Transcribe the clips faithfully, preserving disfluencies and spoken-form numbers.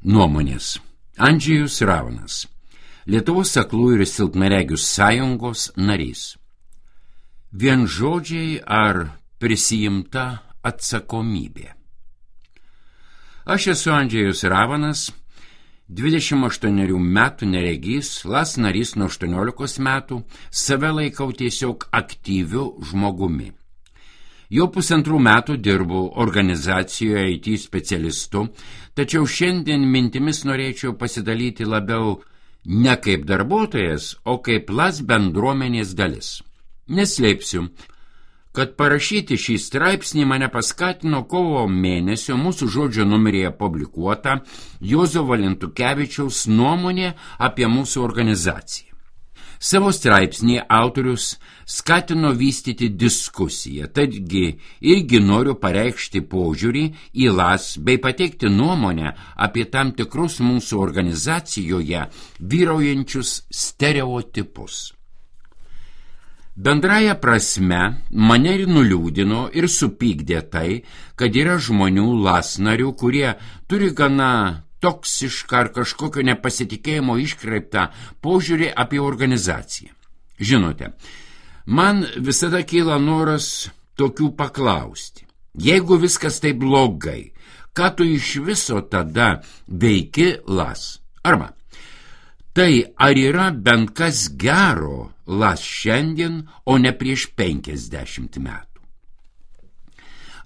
Nuomonės. Andžejus Ravanas, Lietuvos aklųjų ir silpnaregių sąjungos narys. Vien žodžiai ar prisijimta atsakomybė. Aš esu Andžejus Ravanas, dvidešimt aštuonerių metų neregys, las narys nuo aštuoniolikos metų, save laikau tiesiog aktyviu žmogumi. Jau pusantrų metų dirbu organizacijoje I T specialistu, tačiau šiandien mintimis norėčiau pasidalyti labiau ne kaip darbuotojas, o kaip las bendruomenės dalis. Neslėpsiu, kad parašyti šį straipsnį mane paskatino kovo mėnesio mūsų žodžio numeryje publikuota Juozo Valentukevičiaus nuomonė apie mūsų organizaciją. Savo straipsnį autorius skatino vystyti diskusiją, tadgi irgi noriu pareikšti požiūrį į las bei pateikti nuomonę apie tam tikrus mūsų organizacijoje vyraujančius stereotipus. Bendraja prasme mane ir nuliūdino ir supykdė tai, kad yra žmonių las narių, kurie turi gana toksišką ar kažkokio nepasitikėjimo iškreiptą požiūrį apie organizaciją. Žinote, man visada kyla noras tokių paklausti. Jeigu viskas taip blogai, ką tu iš viso tada veiki las? Arba, tai ar yra bent kas gero las šiandien, o ne prieš penkiasdešimt metų?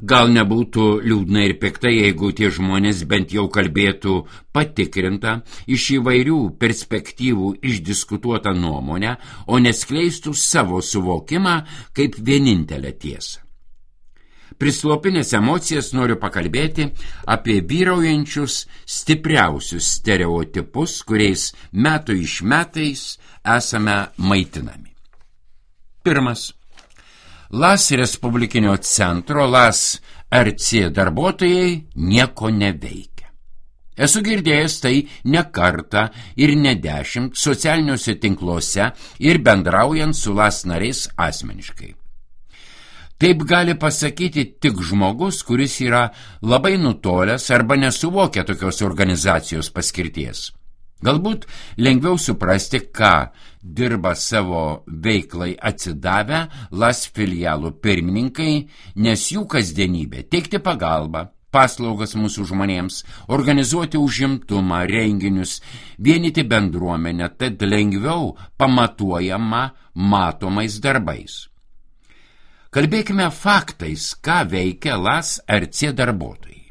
Gal nebūtų liūdna ir pikta, jeigu tie žmonės bent jau kalbėtų patikrintą, iš įvairių perspektyvų išdiskutuotą nuomonę, o neskleistų savo suvokimą kaip vienintelę tiesą. Prislopinęs emocijas noriu pakalbėti apie vyraujančius stipriausius stereotipus, kuriais metų iš metais esame maitinami. Pirmas. Las Respublikinio centro, las R C darbuotojai nieko neveikia. Esu girdėjęs tai ne kartą ir ne dešimt socialiniuose tinkluose ir bendraujant su las nariais asmeniškai. Taip gali pasakyti tik žmogus, kuris yra labai nutolęs arba nesuvokia tokios organizacijos paskirties. Galbūt lengviau suprasti, ką dirba savo veiklai atsidavę las filialų pirmininkai, nes jų kasdienybė teikti pagalbą, paslaugas mūsų žmonėms, organizuoti užimtumą, renginius, vienyti bendruomenę, tad lengviau pamatuojama matomais darbais. Kalbėkime faktais, ką veikia las R C darbuotojai.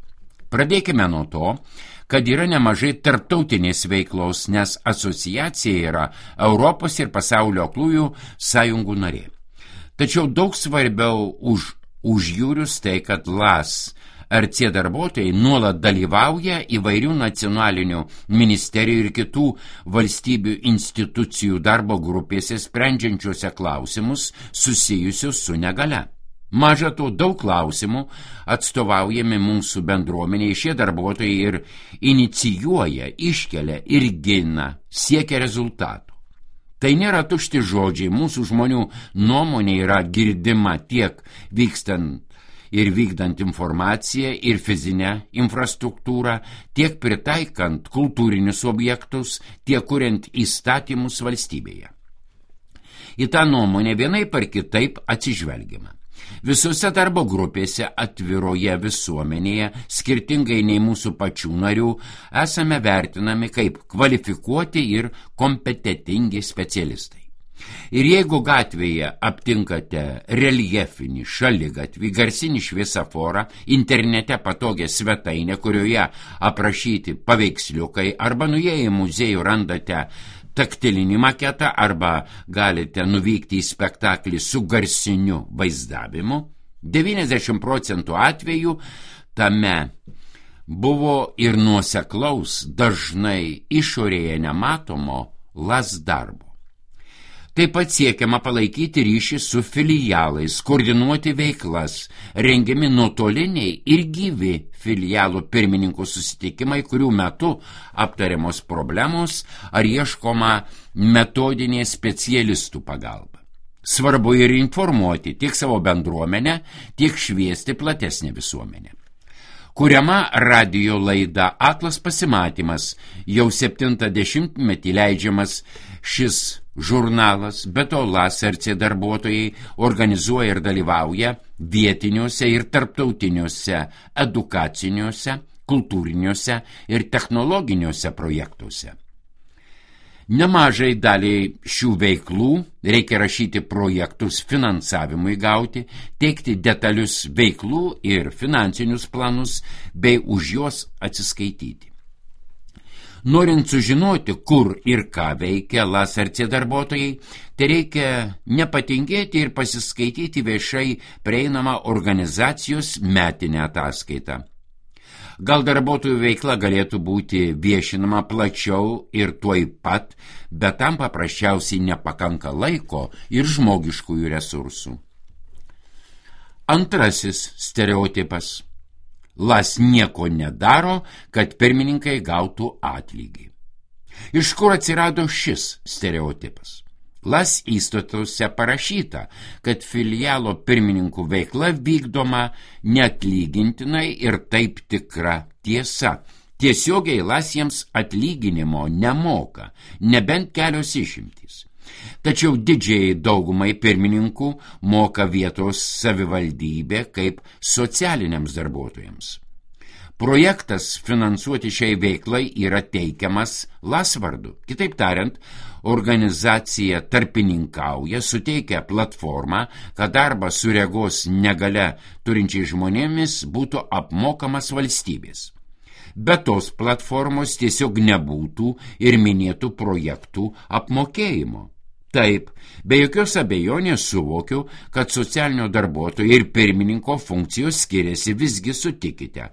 Pradėkime nuo to, kad yra nemažai tarptautinės veiklos, nes asociacija yra Europos ir pasaulio aklųjų sąjungų narė. Tačiau daug svarbiau už užjūrius tai, kad las R C darbuotojai nuolat dalyvauja įvairių nacionalinių ministerijų ir kitų valstybių institucijų darbo grupėse sprendžiančiuose klausimus susijusius su negalia. Maža to, daug klausimų atstovaujami mūsų bendruomeniai, šie darbuotojai ir inicijuoja, iškelia ir gina, siekia rezultatų. Tai nėra tušti žodžiai, mūsų žmonių nuomonė yra girdima tiek vykstant ir vykdant informaciją ir fizinę infrastruktūrą, tiek pritaikant kultūrinius objektus, tiek kuriant įstatymus valstybėje. Į tą nuomonę vienaip ar kitaip atsižvelgiama. Visose darbo grupėse atviroje visuomenėje, skirtingai nei mūsų pačių narių, esame vertinami kaip kvalifikuoti ir kompetentingi specialistai. Ir jeigu gatvėje aptinkate reljefinį šaligatvį, garsinį šviesaforą, internete patogią svetainę, kurioje aprašyti paveiksliukai, arba nuėję į muziejų randate taktilinį maketą, arba galite nuvykti į spektaklį su garsiniu vaizdavimu, devyniasdešimt procentų atvejų tame buvo ir nuoseklaus, dažnai išorėje nematomo las darbo. Taip pat siekiama palaikyti ryšį su filialais, koordinuoti veiklas, rengiami nuotoliniai ir gyvi filialų pirmininkų susitikimai, kurių metu aptariamos problemos ar ieškoma metodinė specialistų pagalba. Svarbu ir informuoti tiek savo bendruomenę, tiek šviesti platesnę visuomenę. Kuriama radijo laida Aklas pasimatymas, jau septintą dešimtmetį leidžiamas šis žurnalas, be to Las R C darbuotojai organizuoja ir dalyvauja vietiniuose ir tarptautiniuose edukaciniuose, kultūriniuose ir technologiniuose projektuose. Nemažai daliai šių veiklų reikia rašyti projektus finansavimui gauti, teikti detalius veiklų ir finansinius planus bei už juos atsiskaityti. Norint sužinoti, kur ir ką veikia Las R C darbuotojai, tai reikia nepatingėti ir pasiskaityti viešai prieinamą organizacijos metinę ataskaitą. Gal darbuotojų veikla galėtų būti viešinama plačiau ir tuoj pat, bet tam paprasčiausiai nepakanka laiko ir žmogiškųjų resursų. Antrasis stereotipas. Las nieko nedaro, kad pirmininkai gautų atlygį. Iš kur atsirado šis stereotipas? Las įstatuose parašyta, kad filialo pirmininkų veikla vykdoma neatlygintinai ir taip tikra tiesa. Tiesiogiai Las jiems atlyginimo nemoka, nebent kelios išimtys. Tačiau didžiai daugumai pirmininkų moka vietos savivaldybė kaip socialiniams darbuotojams. Projektas finansuoti šiai veiklai yra teikiamas Las vardu. Kitaip tariant, organizacija tarpininkauja, suteikia platformą, kad darbas su regos negalia turinčiai žmonėmis būtų apmokamas valstybės. Be tos platformos tiesiog nebūtų ir minėtų projektų apmokėjimo. Taip, be jokios abejonės suvokiu, kad socialinio darbuotojo ir pirmininko funkcijos skiriasi, visgi sutikite,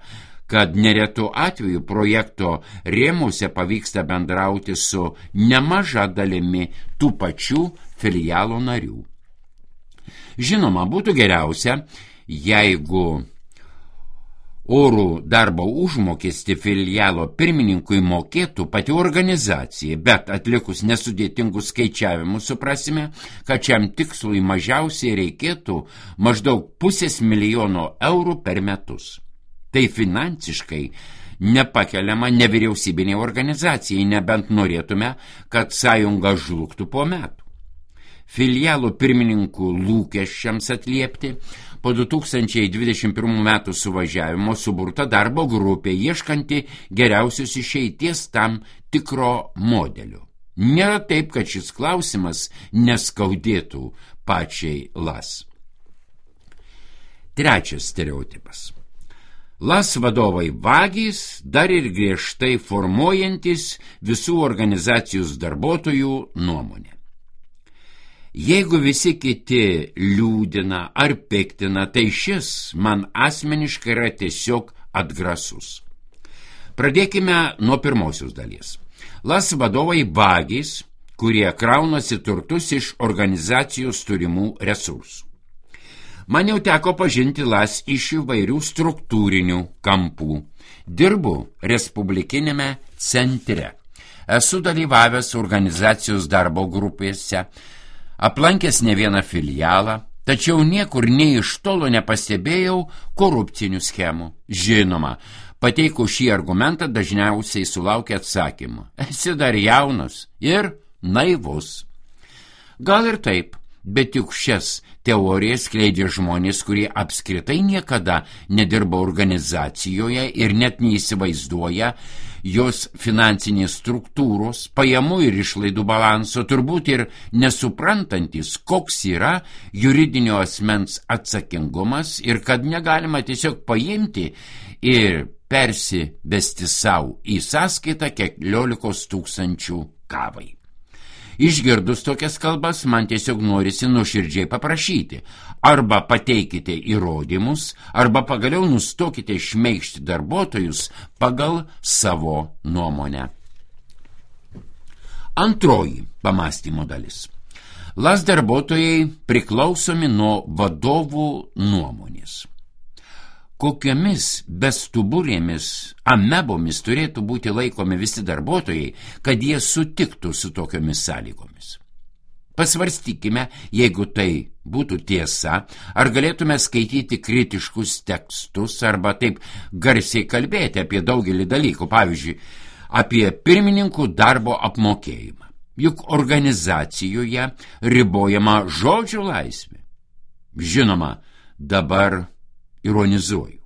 kad neretu atveju projekto rėmuose pavyksta bendrauti su nemaža dalimi tų pačių filialo narių. Žinoma, būtų geriausia, jeigu orų darbo užmokestį filialo pirmininkui mokėtų pati organizacija, bet atlikus nesudėtingus skaičiavimus suprasime, kad šiam tikslui mažiausiai reikėtų maždaug pusės milijono eurų per metus. Tai finansiškai nepakeliama nevyriausybinė organizacijai, nebent norėtume, kad sąjunga žlugtų po metų. Filialų pirmininkų lūkesčiams atliepti po du tūkstančiai dvidešimt pirmų metų suvažiavimo suburta darbo grupė, ieškanti geriausios išeities tam tikro modelio. Nėra taip, kad šis klausimas neskaudėtų pačiai Las. Trečias stereotipas. Las vadovai vagys, dar ir griežtai formuojantis visų organizacijos darbuotojų nuomonę. Jeigu visi kiti liūdina ar piktina, tai šis man asmeniškai yra tiesiog atgrasus. Pradėkime nuo pirmosios dalies. Las vadovai vagys, kurie kraunasi turtus iš organizacijos turimų resursų. Man jau teko pažinti Las iš įvairių struktūrinių kampų. Dirbu Respublikinėme centre. Esu dalyvavęs organizacijos darbo grupėse, aplankęs ne vieną filialą, tačiau niekur nei iš tolo nepastebėjau korupcinių schemų. Žinoma, pateikus šį argumentą dažniausiai sulaukia atsakymų. Esi dar jaunas ir naivus. Gal ir taip, bet juk šias teorijas skleidžia žmonės, kurie apskritai niekada nedirba organizacijoje ir net neįsivaizduoja jos finansinės struktūros, pajamų ir išlaidų balanso, turbūt ir nesuprantantis, koks yra juridinio asmens atsakingumas ir kad negalima tiesiog paimti ir persivesti savo į sąskaitą keliolikos tūkstančių kavai. Išgirdus tokias kalbas, man tiesiog norisi nuoširdžiai paprašyti. Arba pateikite įrodymus, arba pagaliau nustokite šmeigžti darbuotojus pagal savo nuomonę. Antroji pamąstymo dalis. Las darbuotojai priklausomi nuo vadovų nuomonės. Kokiomis bestuburėmis amebomis turėtų būti laikomi visi darbuotojai, kad jie sutiktų su tokiomis sąlygomis? Pasvarstykime, jeigu tai būtų tiesa, ar galėtume skaityti kritiškus tekstus arba taip garsiai kalbėti apie daugelį dalykų, pavyzdžiui, apie pirmininkų darbo apmokėjimą. Juk organizacijoje ribojama žodžio laisvė. Žinoma, dabar ironizuoju.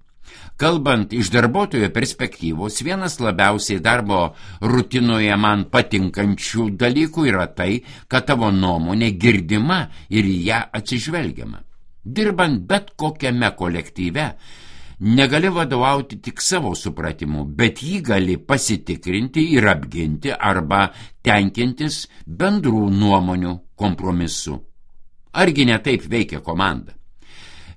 Kalbant iš darbuotojo perspektyvos, vienas labiausiai darbo rutinoje man patinkančių dalykų yra tai, kad tavo nuomonė girdima ir į ją atsižvelgiama. Dirbant bet kokiame kolektyve, negali vadovauti tik savo supratimu, bet jį gali pasitikrinti ir apginti arba tenkintis bendrų nuomonių kompromisu. Argi ne taip veikia komanda?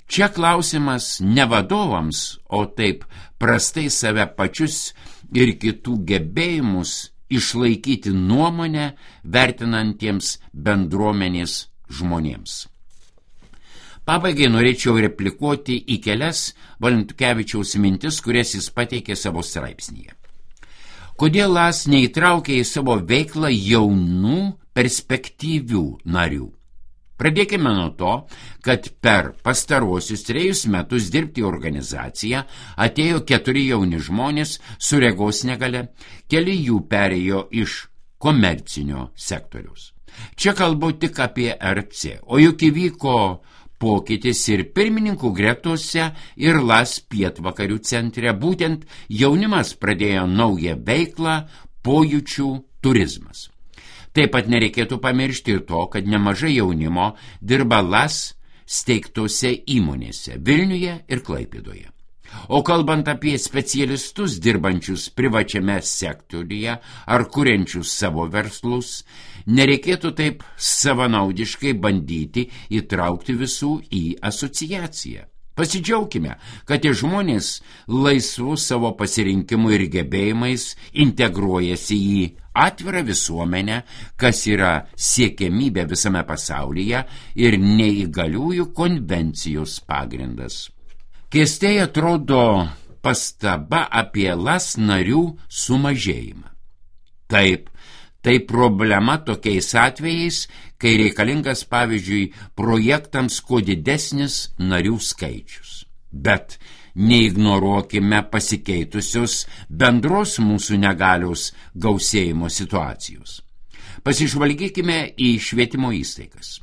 Čia klausimas ne vadovams, o taip prastai save pačius ir kitų gebėjimus išlaikyti nuomonę vertinantiems bendruomenės žmonėms. Pabaigai norėčiau replikuoti į kelias Valentukevičiaus mintis, kurias jis pateikė savo straipsnyje. Kodėl LAS neįtraukė į savo veiklą jaunų perspektyvių narių? Pradėkime nuo to, kad per pastaruosius trejus metus dirbti į organizaciją atėjo keturi jauni žmonės su regos negalia, keli jų perėjo iš komercinio sektoriaus. Čia kalbu tik apie R C, o juk įvyko pokytis ir pirmininkų gretose ir LAS pietvakarių centre, būtent jaunimas pradėjo naują veiklą, pojūčių turizmas. Taip pat nereikėtų pamiršti ir to, kad nemažai jaunimo dirba LAS steigtose įmonėse Vilniuje ir Klaipėdoje. O kalbant apie specialistus dirbančius privačiame sektoriuje ar kuriančius savo verslus, nereikėtų taip savanaudiškai bandyti įtraukti visų į asociaciją. Pasidžiaukime, kad tie žmonės laisvų savo pasirinkimų ir gebėjimais integruojasi į atvirą visuomenę, kas yra siekiamybė visame pasaulyje ir neįgaliųjų konvencijos pagrindas. Keistai atrodo pastaba apie LAS narių sumažėjimą. Taip, tai problema tokiais atvejais, kai reikalingas, pavyzdžiui, projektams kuo didesnis narių skaičius. Bet neignoruokime pasikeitusios bendros mūsų negalios gausėjimo situacijos. Pasižvalgykime į švietimo įstaigas.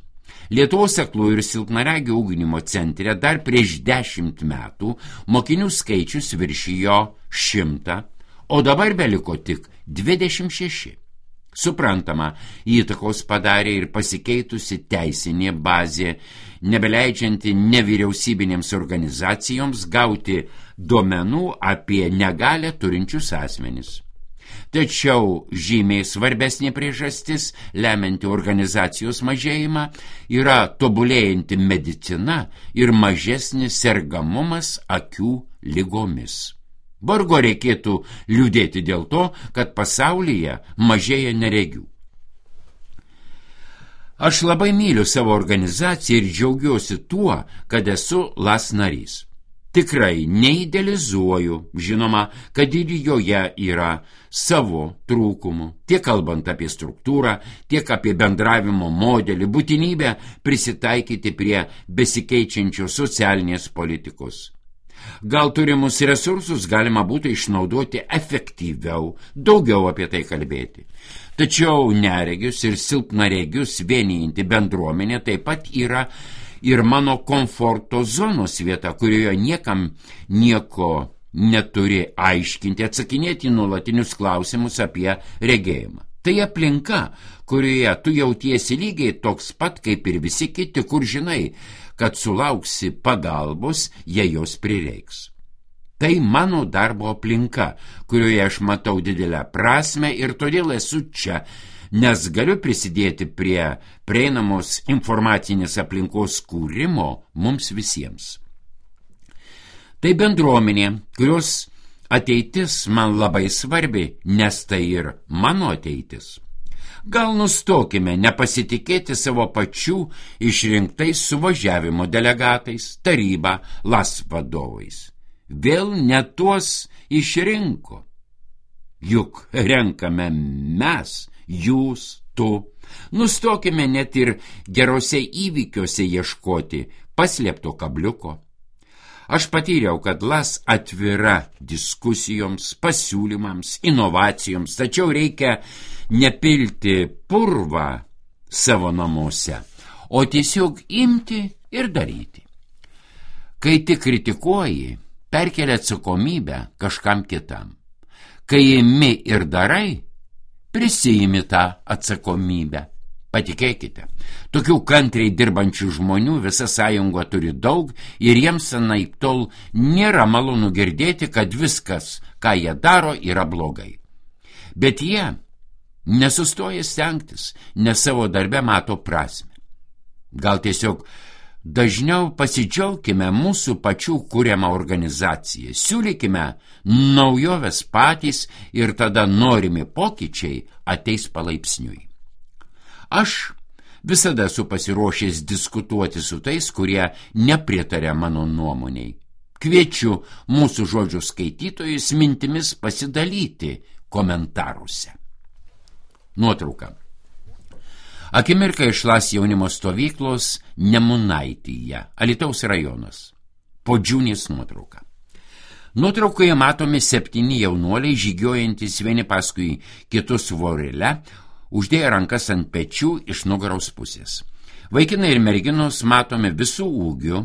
Lietuvos aklųjų ir silpnaregių ugdymo centre dar prieš dešimt metų mokinių skaičius viršijo šimtą, o dabar beliko tik dvidešimt šeši. Suprantama, įtakos padarė ir pasikeitusi teisinė bazė, nebeleidžianti nevyriausybinėms organizacijoms gauti duomenų apie negalią turinčius asmenis. Tačiau žymiai svarbesnė priežastis, lemianti organizacijos mažėjimą, yra tobulėjanti medicina ir mažesnis sergamumas akių ligomis. Vargu reikėtų liūdėti dėl to, kad pasaulyje mažėja neregių. Aš labai myliu savo organizaciją ir džiaugiuosi tuo, kad esu LAS narys. Tikrai neidealizuoju, žinoma, kad ir joje yra savo trūkumų, tiek kalbant apie struktūrą, tiek apie bendravimo modelį, būtinybę prisitaikyti prie besikeičiančios socialinės politikos. Gal turimus resursus galima būtų išnaudoti efektyviau, daugiau apie tai kalbėti. Tačiau neregius ir silpnaregius vienijanti bendruomenė taip pat yra ir mano komforto zonos vieta, kurioje niekam nieko neturi aiškinti, atsakinėti nuolatinius klausimus apie regėjimą. Tai aplinka, kurioje tu jautiesi lygiai toks pat kaip ir visi kiti, kur žinai, kad sulauksi pagalbos, jei jos prireiks. Tai mano darbo aplinka, kurioje aš matau didelę prasmę ir todėl esu čia, nes galiu prisidėti prie prieinamos informacinės aplinkos kūrimo mums visiems. Tai bendruomenė, kurios ateitis man labai svarbi, nes tai ir mano ateitis. Gal nustokime nepasitikėti savo pačių išrinktais suvažiavimo delegatais, taryba, LAS vadovais. Vėl ne tuos išrinko. Juk renkame mes, jūs, tu. Nustokime net ir gerose įvykiuose ieškoti paslėpto kabliuko. Aš patyriau, kad Las atvira diskusijoms, pasiūlymams, inovacijoms, tačiau reikia nepilti purvą savo namuose, o tiesiog imti ir daryti. Kai tik kritikuoji, perkelia atsakomybę kažkam kitam. Kai imi ir darai, prisijimi tą atsakomybę. Patikėkite, tokių kantriai dirbančių žmonių visa sąjunga turi daug ir jiems anaiptol nėra malonu girdėti, kad viskas, ką jie daro, yra blogai. Bet jie nesustoja stengtis, nes savo darbe mato prasmę. Gal tiesiog dažniau pasidžiaukime mūsų pačių kuriamą organizaciją, siūlykime naujoves patys ir tada norimi pokyčiai ateis palaipsniui. Aš visada esu pasiruošęs diskutuoti su tais, kurie nepritaria mano nuomoniai. Kviečiu mūsų žodžių skaitytojus mintimis pasidalyti komentaruose. Nuotrauka. Akimirka iš Las jaunimo stovyklos Nemunaityje, Alytaus rajonas. Podžiūnės nuotrauka. Nuotraukoje matomi septyni jaunuoliai žygiuojantis vieni paskui kitus vorele, uždėję rankas ant pečių iš nugaros pusės. Vaikinai ir merginos matomi visų ūgių,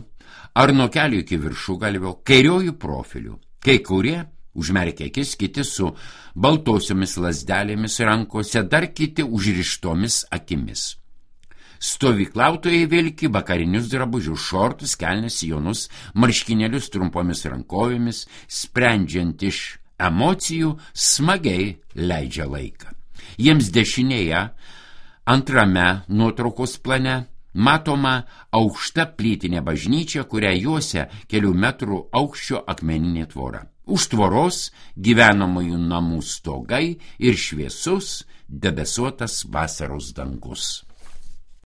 ar nuo kelių iki viršugalvio, kairiojų profilių. Kai kurie užmerkia akis, kiti su baltosiomis lazdelėmis rankose, dar kiti užrištomis akimis. Stovyklautojai vilki vakarinius drabužius, šortus, kelnes, sijonus, marškinėlius trumpomis rankovėmis, sprendžiant iš emocijų, smagiai leidžia laiką. Jiems dešinėje, antrame nuotraukos plane, matoma aukšta plytinė bažnyčia, kurią juosia kelių metrų aukščio akmeninė tvora. Už tvoros gyvenamųjų namų stogai ir šviesus debesuotas vasaros dangus.